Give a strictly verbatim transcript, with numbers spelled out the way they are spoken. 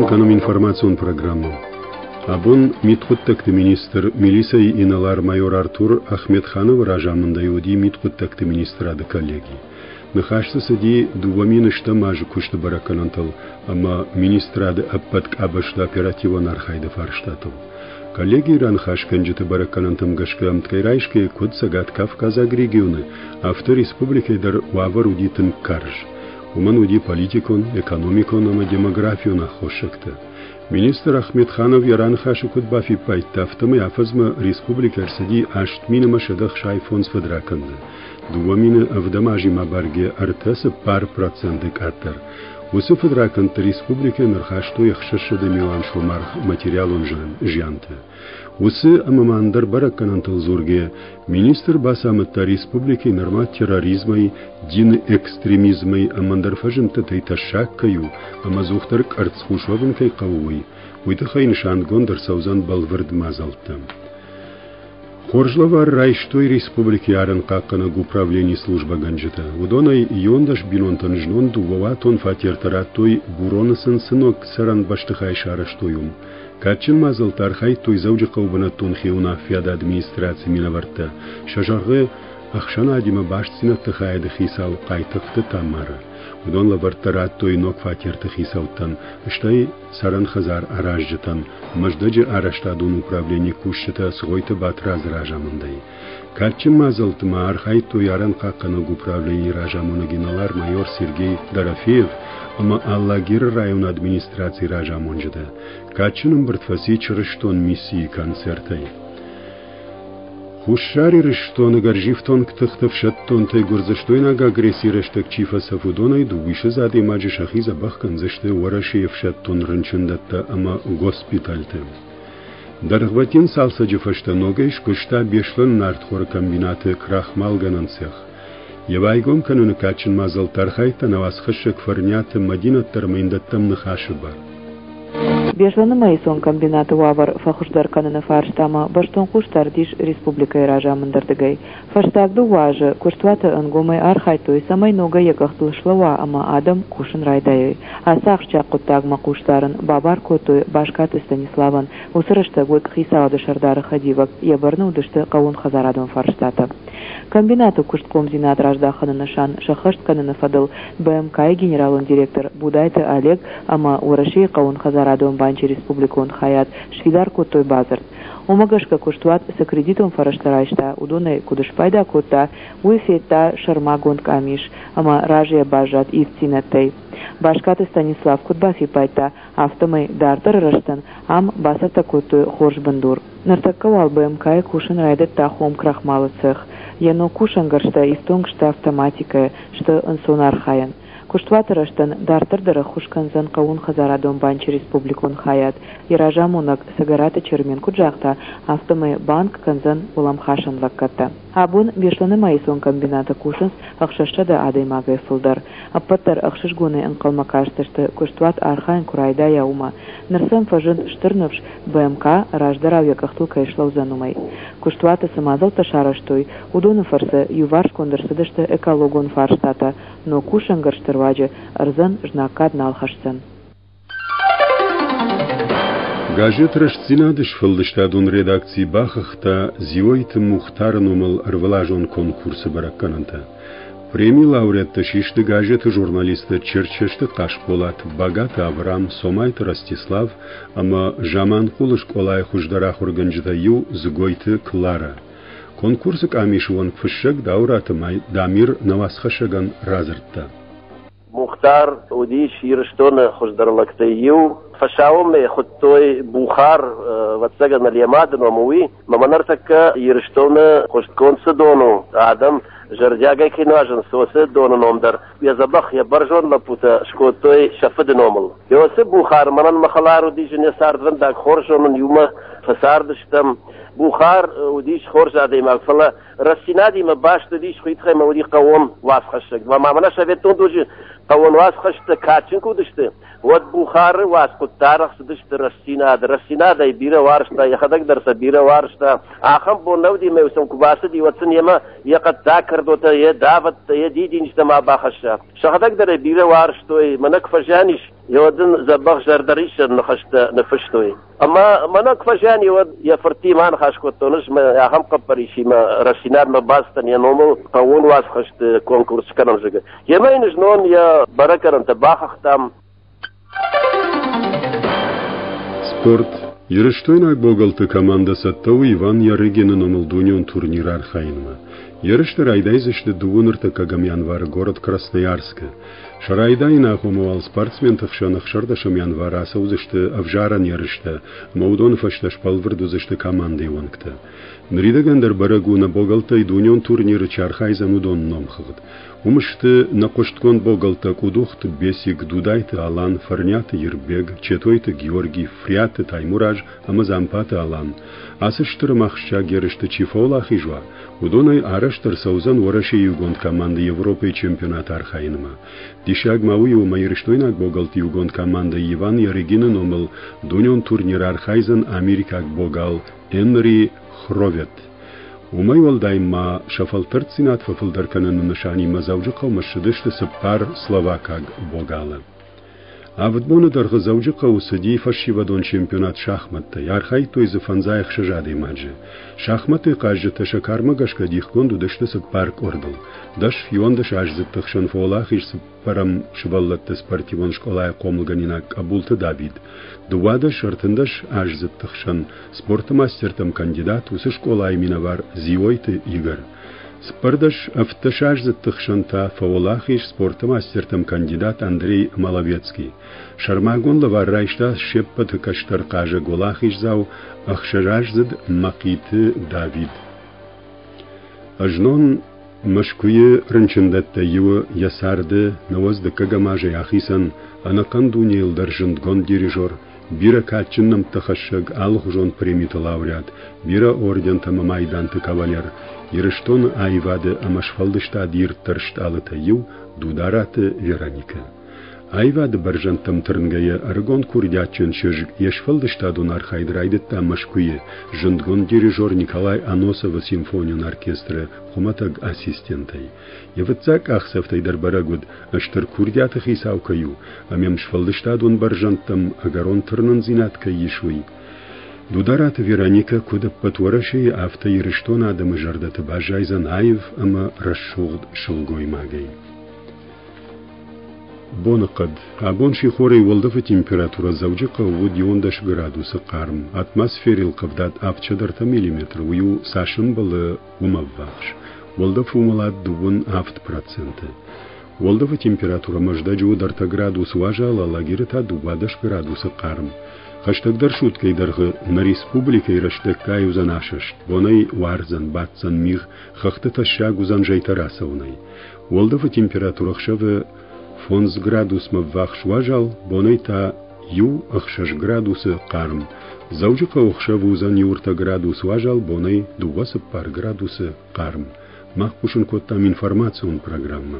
Кӕнӕм информацион программӕ. Абон мидхъуыддӕгты министр, милицӕйы инӕлар-майор Артур Ахметхановы разамындӕй уыди мидхъуыддӕгты министрады коллеги. Ныхас дзы цыди дыууӕ мин стӕм азы куысты бӕрӕггӕнӕнтыл ӕмӕ министрады ӕппӕт къабӕзты оперативон архайды фарстатыл. Коллегийы раныхасгӕнджыты бӕрӕггӕнӕнтӕм гӕсгӕ ӕмткӕй райсгӕйӕ куыд Цӕгат-Кавказаг регионы, афтӕ республикӕйы дӕр уавӕр уыди тынг карз. Уымӕн уыди политикон, экономикон ӕмӕ демографион аххосӕгтӕ. Министр Ахметханов йӕ раныхасы куыд бафиппайдта, афтӕмӕй афӕдзмӕ республикӕ ӕрцыди аст мин ӕмӕ сӕдӕ ӕхсай фондз фыдракӕнды. Дыууӕ мины ӕвдӕм азимӕ абаргӕ ӕртӕ цыппар проценты къаддӕр. Уыцы фыдракӕндты республикӕйӕн ӕрхастой ӕхсӕзсӕдӕ милуан сомы аргъ материалон зиантӕ. Уыцы ӕмӕ ма ӕндӕр бӕрӕггӕнӕнтыл дзургӕйӕ, министр бацамыдта республикӕйы нырма терроризмӕй, дины экстремизмӕй ӕмӕ ӕндӕр фӕзындтытӕй тӕссаг кӕй у ӕмӕ ӕдзухдӕр къӕрцхъус уӕвын кӕй хъӕуы, уый. Уый тыххӕй нысангонд ӕрцӕудзӕн бӕлвырд мадзӕлттӕ. Хорз лӕвар райстой республикӕйы арӕнхъахъхъӕнӕг управленийы службӕгӕнджытӕ. Уыдонӕй иуӕндӕс бинонтӕн знон дыууӕуатон фатертӕ радтой, Буроны сын цы ног цӕрӕн бӕстыхай сарӕзтой, уым. Кадджын мадзӕлтты архайдтой Дзӕуджыхъӕуы бынӕттон хиуынаффӕйады администрацийы минӕвӕрттӕ. Сӕ сӕргъы ӕхсӕнадимӕ бастдзинӕдты хайады хицау Хъайтыхъты Тамара. Уыдон лӕвӕрттӕ радтой ног фатерты хицӕуттӕн, стӕй цӕрӕн хӕдзар аразджытӕн, Мӕздӕджы арӕзтадон управленийы кусджытӕ Цгъойты Батрадзы разамындӕй. Кадджын мадзӕлтты ма архайдтой арӕнхъахъхъӕнӕг управленийы разамонӕг инӕлар-майор Сергей Дорофеев ӕмӕ Алагиры районы администрацийы разамонджытӕ. Кадджын ӕмбырд фӕци чырыстон миссийы концертӕй. Хуссар Ирыстоны гӕрзифтонг тыхты ӕфсӕддонтӕй гуырдзыстойнаг агрессийы рӕстӕг чи фӕцӕф, уыдонӕй дыууиссӕдз адӕймаджы сӕхи дзӕбӕх кӕндзысты Уӕрӕсейы ӕфсӕддон рынчындӕттӕ ӕмӕ госпитальты. Дӕргъвӕтин цалцӕджы фӕстӕ ногӕй скуыста Беслӕны нартхоры комбинаты крахмалгӕнӕн цех. Йӕ байгом кӕныны кадджын мадзӕлтты архайдта нӕ уацхӕссӕг Фӕрниаты Мӕдинӕт дӕр ӕмӕ йын дӕттӕм ныхасы бар. Беслӕны маисон комбинаты уавӕр фӕхуыздӕр кӕныны фарстамӕ бӕстон хъусдард ис республикӕйы разамындӕрдыгӕй. Фӕстаг дыууӕ азы куыстуаты ӕнгомӕй архайдтой, цӕмӕй ногӕй йӕ къӕхтыл слӕууа ӕмӕ адӕм кусын райдайой. Ацы ахсджиаг хъуыддагмӕ хъусдарын бабар кодтой Баскаты Станиславӕн. Уыцы рӕстӕг уыд хицауады сӕрдары хӕдивӕг, йӕ бӕрны уыдысты хъӕууонхӕдзарадон фарстатӕ. Комбинаты куыстхъомдзинад раздахыны нысан сӕххӕст кӕныны фӕдыл БМК-йы генералон директор Будайты Олег ӕмӕ Уӕрӕсейы хъӕууонхӕдзарадон банчы республикон хайад сфидар кодтой бадзырд. Уымӕ гӕсгӕ куыстуат цы кредитон фӕрӕзтӕ райста, уыдонӕй куыд спайда кодта, уый федта сӕрмагонд къамис ӕмӕ разыйӕ баззад ивддзинӕдтӕй. Баскаты Станислав куыд бафиппайдта, афтӕмӕй дарддӕры рӕзтӕн ам бацӕттӕ кодтой хорз бындур. Ныртӕккӕ уал БМК-йы кусын райдыдта хом крахмалы цех. Йӕ ног кусӕнгӕрзтӕ ифтонг сты автоматикӕйӕ, сты ӕнцонархайӕн. Куыстуаты рӕзтӕн дарддӕр дӕр ӕххуыс кӕндзӕн хъӕууонхӕдзарадон банчы республикон хайад. Йӕ разамонӕг Цӕгӕраты Чермен куыд загъта, афтӕмӕй банк кӕндзӕн уӕлӕмхасӕн лӕггӕдтӕ. Абон Беслӕны маисон комбинаты кусынц ӕхсӕзсӕдӕ адӕймагӕй фылдӕр. Ӕппӕт дӕр ӕхсызгонӕй ӕнхъӕлмӕ кастысты, куыстуат архайын куы райдайа, уымӕ. Ныр сӕм фӕзынд стыр ныфс, БМК раздӕрау йӕ къӕхтыл кӕй слӕудзӕн, уымӕй. Куыстуаты цы мадзӕлттӕ сарӕзтой, уыдоны фӕрцы иуварсгонд ӕрцыдысты экологон фарстатӕ, ног кусӕнгӕрзты руаджы ӕрдзӕн знаггад нал хӕсдзӕн. Газет «Рӕстдзинад»-ы сфӕлдыстадон редакци бахыгъта Дзиойты Мухтары номыл ӕрвылазон конкурсы бӕрӕггӕнӕнтӕ. Премийы лауреаттӕ систы газеты журналисттӕ Черчесты Хъасболат, Багаты Аврам, Цомайты Ростислав ӕмӕ Заманхъулы скъолайы хуыздӕр ахуыргӕнджытӕй иу Дзыгойты Кларӕ. Конкурсы къамисы уӕнг фыссӕг Дауыраты Дамир нӕ уацхӕссӕгӕн радзырдта. Мухтар уыдис Ирыстоны хуыздӕр лӕгтӕй иу. Фӕсаумӕ хуыдтой Бухар, ӕвӕццӕгӕн, йӕ мады ном уый. Мӕ ныртӕккӕ Ирыстоны хъуыстгонд цы дон у, адӕм зӕрдиагӕй кӕй нуазынц, уыцы доны ном дӕр йӕ дзӕбӕх, йӕ бӕрзонд лӕппутӕ скодтой сӕ фыды номыл. Уыцы Бухар мӕнӕн мӕ хӕлар уыдис, йӕ цардвӕндаг хорз зонын, иумӕ фӕцардыстӕм. Бухар уыдис хорз адӕймаг, фӕлӕ рӕстдзинадимӕ баст уыдис, уый тыххӕй ма уыди хъӕууон уацхӕссӕг. Ма мӕнӕ советон дуджы хъӕууон уацхӕсджытӕ кадджын куы уыдысты, уӕд Бухары уацхъуыдтӕ арӕх цыдысты рӕстдзинад. Рӕстдзинадӕй бирӕ уарзта, йӕхӕдӕг дӕр сӕ бирӕ уарзта. Ахӕм бон нӕ уыди, ӕмӕ сӕм куы бацыди, уӕд сын йемӕ йӕ хъӕддаг кӕрдотӕ, йӕ давӕттӕ, йӕ дидинджытӕ ма бахӕсса. Сӕхӕдӕг дӕр ӕй бирӕ уарзтой, мӕнӕ куы фӕзиан ис, Йӕ дын дзӕбӕх зӕрдӕрисӕн ныхӕстӕ ныффыстой. Ӕмӕ мӕнӕ куы фӕзиан, уӕд йӕ фыртимӕ аныхас кодтон ӕз мӕ ахӕм хъӕппӕрисимӕ Рӕстдзинадмӕ бацыдтӕн йӕ номыл хъӕууон уацхӕсты конкурс скӕнӕм, зӕгъгӕ. Йемӕ йын знон йӕ бӕрӕггӕнӕнтӕ бахыгътам. Спорт. Ирыстойнаг богалты командӕ цӕттӕ у Иван Ярыгины номыл дунеон турниры архайынмӕ. Ерысты райдайдзысты дыууын ӕртыккӕгӕм январы город Красноярскы. Сӕ райдайыны агъоммӕ уал спортсменты хсӕн ӕхсӕрдӕсӕм январы ацӕудзысты ӕвзарӕн ерыстӕ ӕмӕ уыдоны фӕстӕ сбӕлвырд уыдзысты командӕйы уӕнгтӕ. Ныридӕгӕн дӕр бӕрӕг у, нӕ богӕлттӕй дунеон турниры чи архайдзӕн, уыдоны номхыгъд. Уым сты нӕ хъуыстгонд богӕлттӕ Къудухты Бесик, Дудайты Алан, Фӕрниаты Ирбег, Четойты Георгий, Фриаты Таймураз ӕмӕ Дзампаты Алан. Ацы стыр ӕмӕ ахсджиаг ерысты чи фӕуӕлахиз уа, уыдонӕй арӕзт ӕрцӕудзӕн Уӕрӕсейы иугонд командӕ Европӕйы чемпионаты архайынмӕ. Диссаг ма уый у, ӕмӕ ирыстойнаг богалты иугонд командӕ Иван Ярыгины номыл дунеон турниры архайдзӕн америкаг богал Энри Хровет. Уымӕй уӕлдай ма сӕ фӕлтӕрддзинад фӕфылдӕр кӕныны нысанимӕ Дзӕуджыхъӕумӕ ссыдысты цыппар словакаг богалы. Авд боны дӕргъы Дзӕуджыхъӕуы цыди фӕсивӕдон чемпионат шахмӕттӕй, архайдтой дзы фӕндзай ӕхсӕз адӕймаджы. Шахмӕтты хъазджытӕ сӕ кармӕ гӕсгӕ дихгонд уыдысты цыппар къордыл. Дӕс иуӕндӕс аздзыдты хсӕн фӕуӕлахиз цыппӕрӕм сывӕллӕтты спортивон скъолайы хъомылгӕнинаг Къӕбулты Давид. Дыууадӕс ӕртындӕс аздзыдты хсӕн спорты мастертӕм кандидат уыцы скъолайы минӕвар Дзиойты Игорь. Цыппӕрдӕс ӕвддӕсаздзыдты хсӕн та фӕуӕлахиз спорты мастертӕм кандидат Андрей Маловецкий. Сӕрмагонд лӕвар райста се ппӕты кӕстӕр хъазӕг уӕлахиздзау ӕхсӕзаздзыд Мӕхъиты Давид. Ӕзнон Мӕскуыйы рынчындӕттӕй иуы йӕ царды нӕуӕдз дыккӕгӕм азӕй ахицӕн ӕнӕхъӕн дунейыл дӕр зындгонд дирижер, бирӕ кадджын нӕмттӕ хӕссӕг алыхуызон премиты лауреат, бирӕ ордентӕ ӕмӕ майданты кавалер, Ирыстоны аивады ӕмӕ сфӕлдыстады ирддӕр стъалытӕй иу Дудараты Вероникӕ. Аивады бӕрзӕндтӕм тырнгӕйӕ ӕрыгон курдиатджын чызг йе сфӕлдыстадон архайд райдыдта Мӕскуыйы зындгонд дирижер Николай Аносовы симфонион оркестры хуымӕтӕг ассистентӕй. Йӕ фыццаг къахдзӕфтӕй дӕр бӕрӕг уыд, стыр курдиаты хицау кӕй у, ӕмӕ йӕм сфӕлдыстадон бӕрзӕндтӕм ӕгӕрон тырнындзинад кӕй ис, уый. Дудараты Вероникӕ куыд ӕппӕт Уӕрӕсейы, афтӕ Ирыстоны адӕмы зӕрдӕты баззайдзӕн аив ӕмӕ рӕсугъд сылгоймагӕй. Боныхъӕд. Абон сихорӕй уӕлдӕфы температурӕ Дзӕуджыхъӕуы уыд иуӕндӕс градусы хъарм. Атмосферӕйыл къӕвдат авдсӕдӕ миллиметры, уый у цас ӕмбӕлы, уымӕ ӕввахс. Уӕлдӕфы уымӕлад дыууын авд проценты. Уӕлдӕфы температурӕ Мӕздӕджы уыд ӕртӕ градусы уазал, Алагиры та дыууадӕс градусы хъарм. Хӕстӕгдӕр суткӕйы дӕргъы нӕ республикӕйы рӕстӕггай уыдзӕн асӕст, бонӕй уардзӕн, баддзӕн мигъ, хӕхты тӕссаг уыдзӕн зӕйтӕ рацӕуынӕй. Уӕлдӕфы температурӕ ӕхсӕвы фондз градусмӕ ввахс уазал, бонӕй та иу ӕхсӕз градусы хъарм. Дзӕуджыхъӕуы ӕхсӕвы уыдзӕн иу ӕртӕ градус уазал, бонӕй дыууӕ цыппар градусы хъарм. Мах хъусын кодтам информацион программӕ.